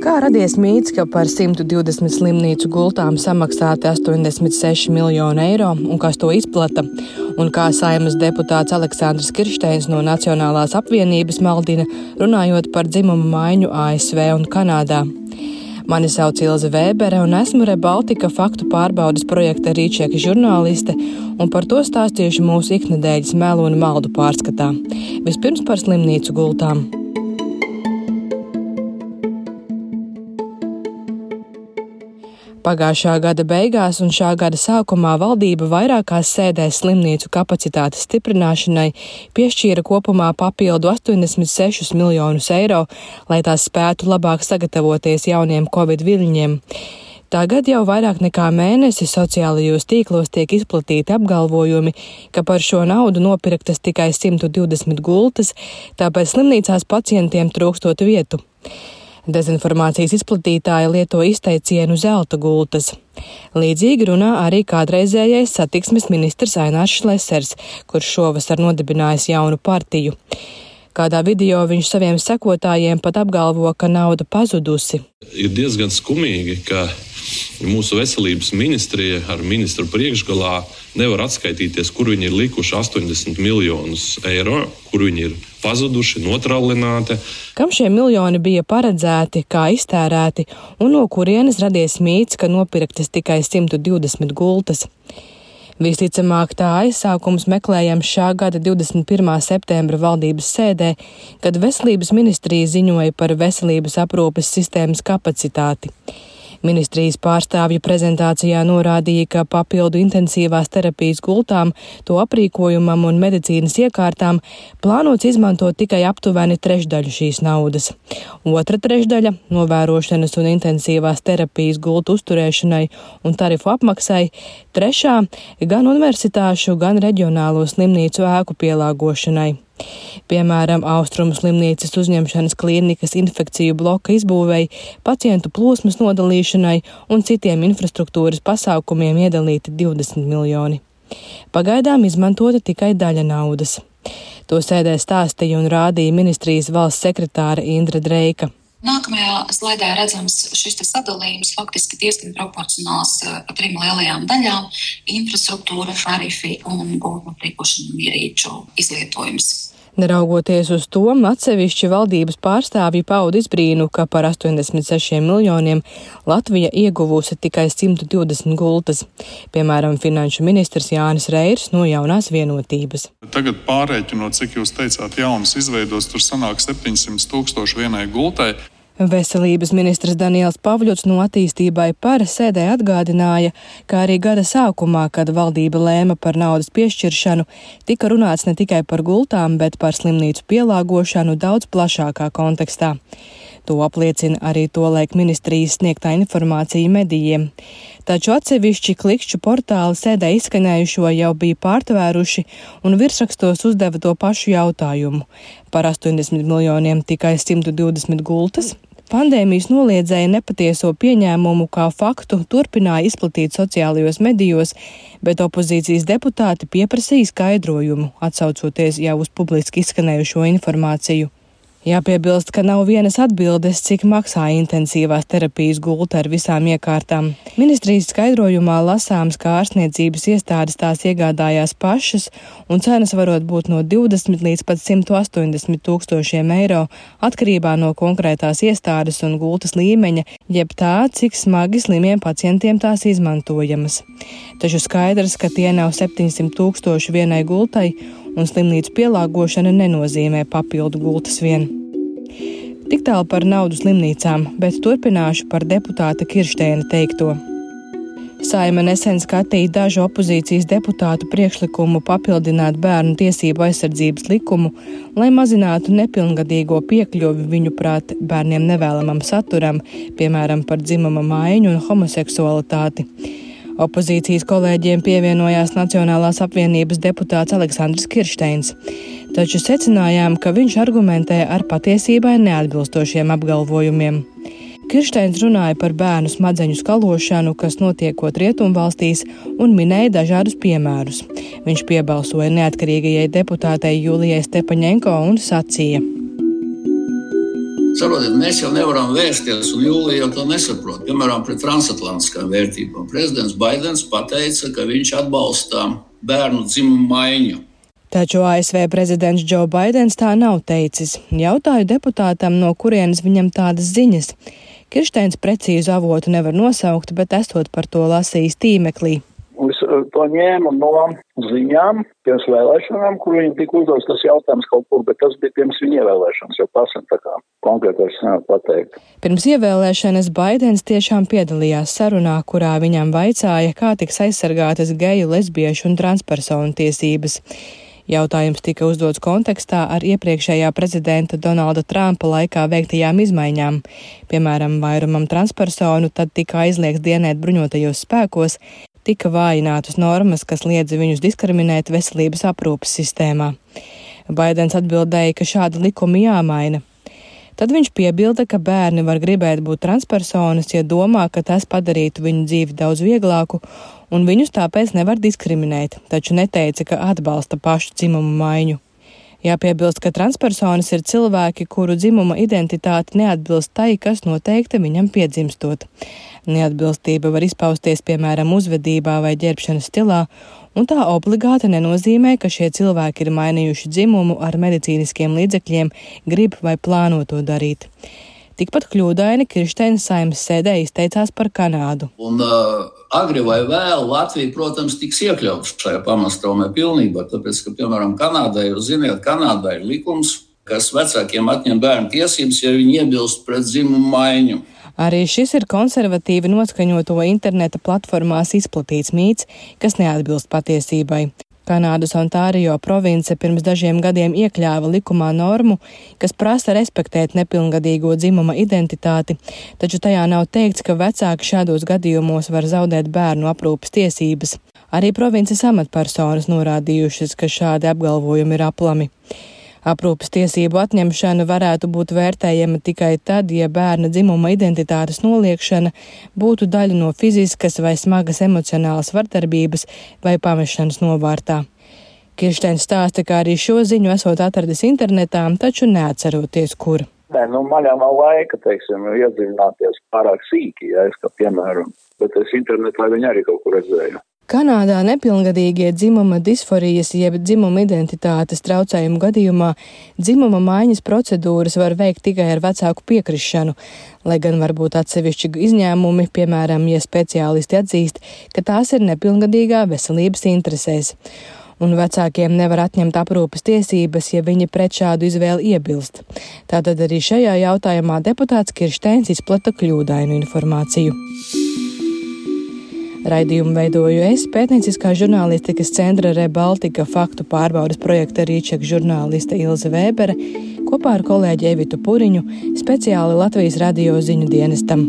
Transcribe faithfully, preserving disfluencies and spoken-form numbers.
Kā radies mīts, ka par simt divdesmit slimnīcu gultām samaksāti astoņdesmit seši miljoni eiro un kas to izplata, un kā Saeimas deputāts Aleksandrs Kiršteins no Nacionālās apvienības maldina, runājot par dzimumu maiņu A S V un Kanādā. Mani sauc Ilze Vēbere un esmu ReBaltica faktu pārbaudes projekta Rīčeka žurnāliste, un par to stāstīšu mūsu iknedēļas melu un maldu pārskatā. Vispirms par slimnīcu gultām. Pagājušā gada beigās un šā gada sākumā valdība vairākās sēdēs slimnīcu kapacitātes stiprināšanai piešķīra kopumā papildu astoņdesmit sešus miljonus eiro, lai tās spētu labāk sagatavoties jauniem covid viļņiem. Tagad jau vairāk nekā mēnesi sociālajos tīklos tiek izplatīti apgalvojumi, ka par šo naudu nopirktas tikai simt divdesmit gultas, tāpēc slimnīcās pacientiem trūkstot vietu. Dezinformācijas izplatītāji lieto izteicienu zelta gultas. Līdzīgi runā arī kādreizējais satiksmes ministrs Ainārs Šlesers, kurš šovasar nodibinājis jaunu partiju. Kādā video viņš saviem sekotājiem pat apgalvo, ka nauda pazudusi. Ir diezgan skumīgi, ka mūsu veselības ministrija ar ministru priekšgalā nevar atskaitīties, kur viņi ir likuši astoņdesmit miljonus eiro, kur viņi ir pazuduši, notrallināti. Kam šie miljoni bija paredzēti, kā iztērēti un no kurienes radies mīts, ka nopirktas tikai simt divdesmit gultas? Visticamāk, tā aizsākums meklējams šā gada divdesmit pirmā septembra valdības sēdē, kad veselības ministrija ziņoja par veselības aprūpes sistēmas kapacitāti. Ministrijas pārstāvju prezentācijā norādīja, ka papildu intensīvās terapijas gultām, to aprīkojumam un medicīnas iekārtām plānots izmantot tikai aptuveni trešdaļu šīs naudas. Otra trešdaļa – novērošanas un intensīvās terapijas gultu uzturēšanai un tarifu apmaksai, trešā – gan universitāšu, gan reģionālo slimnīcu ēku pielāgošanai. Piemēram, Austrumu slimnīcas uzņemšanas klīnikas infekciju bloka izbūvei, pacientu plūsmas nodalīšanai un citiem infrastruktūras pasākumiem iedalīti divdesmit miljoni. Pagaidām izmantota tikai daļa naudas. To sēdē stāstīja un rādīja ministrijas valsts sekretāre Indra Dreika. Nākamajā slaidā redzams šis sadalījums faktiski diezgan proporcionāls pa trim lielajām daļām – infrastruktūra, tarifi un gultu aprīkošanu ierīču izlietojums. Neraugoties uz to, atsevišķi valdības pārstāvji pauda izbrīnu, ka par astoņdesmit sešiem miljoniem Latvija ieguvusi tikai simt divdesmit gultas. Piemēram, finanšu ministrs Jānis Reirs no Jaunās vienotības. Tagad pārēķinot, cik jūs teicāt, jaunas izveidos, tur sanāk septiņsimt tūkstoši vienai gultai. Veselības ministrs Daniels Pavļots no Attīstībai par sēdē atgādināja, ka arī gada sākumā, kad valdība lēma par naudas piešķiršanu, tika runāts ne tikai par gultām, bet par slimnīcu pielāgošanu daudz plašākā kontekstā. To apliecina arī tolaik ministrijas sniegtā informācija medijiem. Taču atsevišķi klikšķu portāli sēdē izskanējušo jau bija pārtvēruši un virsrakstos uzdeva to pašu jautājumu. Par astoņdesmit miljoniem tikai simt divdesmit gultas? Pandēmijas noliedzēja nepatieso pieņēmumu kā faktu turpināja izplatīt sociālajos medijos, bet opozīcijas deputāti pieprasīja skaidrojumu, atsaucoties jau uz publiski izskanējušo informāciju. Jāpiebilst, ka nav vienas atbildes, cik maksā intensīvās terapijas gulta ar visām iekārtām. Ministrijas skaidrojumā lasāms, ka ārstniecības iestādes tās iegādājās pašas, un cenas varot būt no divdesmit līdz pat simt astoņdesmit tūkstošiem eiro, atkarībā no konkrētās iestādes un gultas līmeņa, jeb tā, cik smagi slimiem pacientiem tās izmantojamas. Taču skaidrs, ka tie nav septiņsimt tūkstoši vienai gultai, un slimnīcu pielāgošana nenozīmē papildu gultas vien. Tik tālu par naudu slimnīcām, bet turpināšu par deputāta Kiršteina teikto. Saeima nesen skatīja dažu opozīcijas deputātu priekšlikumu papildināt bērnu tiesību aizsardzības likumu, lai mazinātu nepilngadīgo piekļuvi viņuprāt bērniem nevēlamam saturam, piemēram par dzimuma maiņu un homoseksualitāti. Opozīcijas kolēģiem pievienojās Nacionālās apvienības deputāts Aleksandrs Kiršteins, taču secinājām, ka viņš argumentē ar patiesībai neatbilstošiem apgalvojumiem. Kiršteins runāja par bērnu smadzeņu skalošanu, kas notiekot rietumvalstīs, un minēja dažādus piemērus. Viņš piebalsoja neatkarīgajai deputātei Julijai Stepaņenko un sacīja: Saprotiet, mēs jau nevaram vērsties, un Jūlija jau to nesaprot. Piemēram, pret transatlantiskām vērtībām. Prezidents Baidens pateica, ka viņš atbalsta bērnu dzimumu maiņu. Taču A S V prezidents Džo Baidens tā nav teicis. Jautāju deputātam, no kurienes viņam tādas ziņas. Kirsteins precīzu avotu nevar nosaukt, bet esot par to lasījis tīmeklī. Es to ņēmu no ziņām pirms vēlēšanām, kur viņam tika uzdots tas jautājums kaut kur, bet tas bija pirms viņa ievēlēšanas, jau pasam tā kā konkrēti vairs nevar pateikt. Pirms ievēlēšanas Baidens tiešām piedalījās sarunā, kurā viņam vaicāja, kā tiks aizsargātas geju, lesbiešu un transpersonu tiesības. Jautājums tika uzdots kontekstā ar iepriekšējā prezidenta Donalda Trumpa laikā veiktajām izmaiņām. Piemēram, vairumam transpersonu tad tika aizliegts dienēt bruņotajos spēkos, tika vājinātas normas, kas liedza viņus diskriminēt veselības aprūpes sistēmā. Baidens atbildēja, ka šādi likumi jāmaina. Tad viņš piebilda, ka bērni var gribēt būt transpersonas, ja domā, ka tas padarītu viņu dzīvi daudz vieglāku, un viņus tāpēc nevar diskriminēt, taču neteica, ka atbalsta pašu dzimumu maiņu. Jāpiebilst, ka transpersonas ir cilvēki, kuru dzimuma identitāte neatbilst tai, kas noteikta viņam piedzimstot. Neatbilstība var izpausties, piemēram, uzvedībā vai ģērbšanas stilā, un tā obligāti nenozīmē, ka šie cilvēki ir mainījuši dzimumu ar medicīniskiem līdzekļiem, grib vai plāno to darīt. Tikpat kļūdaini Kirsteins Saeimas sēdē izteicās par Kanādu. Un uh, agri vai vēl Latvija, protams, tiks iekļauts šajā pamaststraumē pilnībā, tāpēc, ka, piemēram, Kanādā, jūs ziniet, Kanādā ir likums, kas vecākiem atņem bērnu tiesības, ja viņi iebilst pret dzimumu maiņu. Arī šis ir konservatīvi noskaņoto interneta platformās izplatīts mīts, kas neatbilst patiesībai. Kanādas Ontārio province pirms dažiem gadiem iekļāva likumā normu, kas prasa respektēt nepilngadīgo dzimuma identitāti, taču tajā nav teikts, ka vecāki šādos gadījumos var zaudēt bērnu aprūpes tiesības. Arī provinces amatpersonas norādījušas, ka šādi apgalvojumi ir aplami. Aprūpes tiesību atņemšana varētu būt vērtējama tikai tad, ja bērna dzimuma identitātes noliekšana būtu daļa no fiziskas vai smagas emocionālas vardarbības vai pamešanas novārtā. Kirsteins stāsta, ka arī šo ziņu esot atradis internetā, taču neatceroties, kur. Nē, nu, man jau nav laika, teiksim, iedziļināties pārāk sīki, ja es kā piemēram, bet es internetā viņu arī kaut kur redzēju. Kanādā nepilngadīgie dzimuma disforijas jeb dzimuma identitātes traucējumu gadījumā dzimuma maiņas procedūras var veikt tikai ar vecāku piekrišanu, lai gan var būt atsevišķi izņēmumi, piemēram, ja speciālisti atzīst, ka tās ir nepilngadīgā veselības interesēs. Un vecākiem nevar atņemt aprūpes tiesības, ja viņi pret šādu izvēli iebilst. Tātad arī šajā jautājumā deputāts Kirsteins izplata kļūdainu informāciju. Raidījumu veidoju es, pētnieciskā žurnālistikas centra Rebaltika faktu pārbaudes projekta rīčeka žurnāliste Ilze Vēbere, kopā ar kolēģi Evitu Puriņu, speciāli Latvijas radio ziņu dienestam.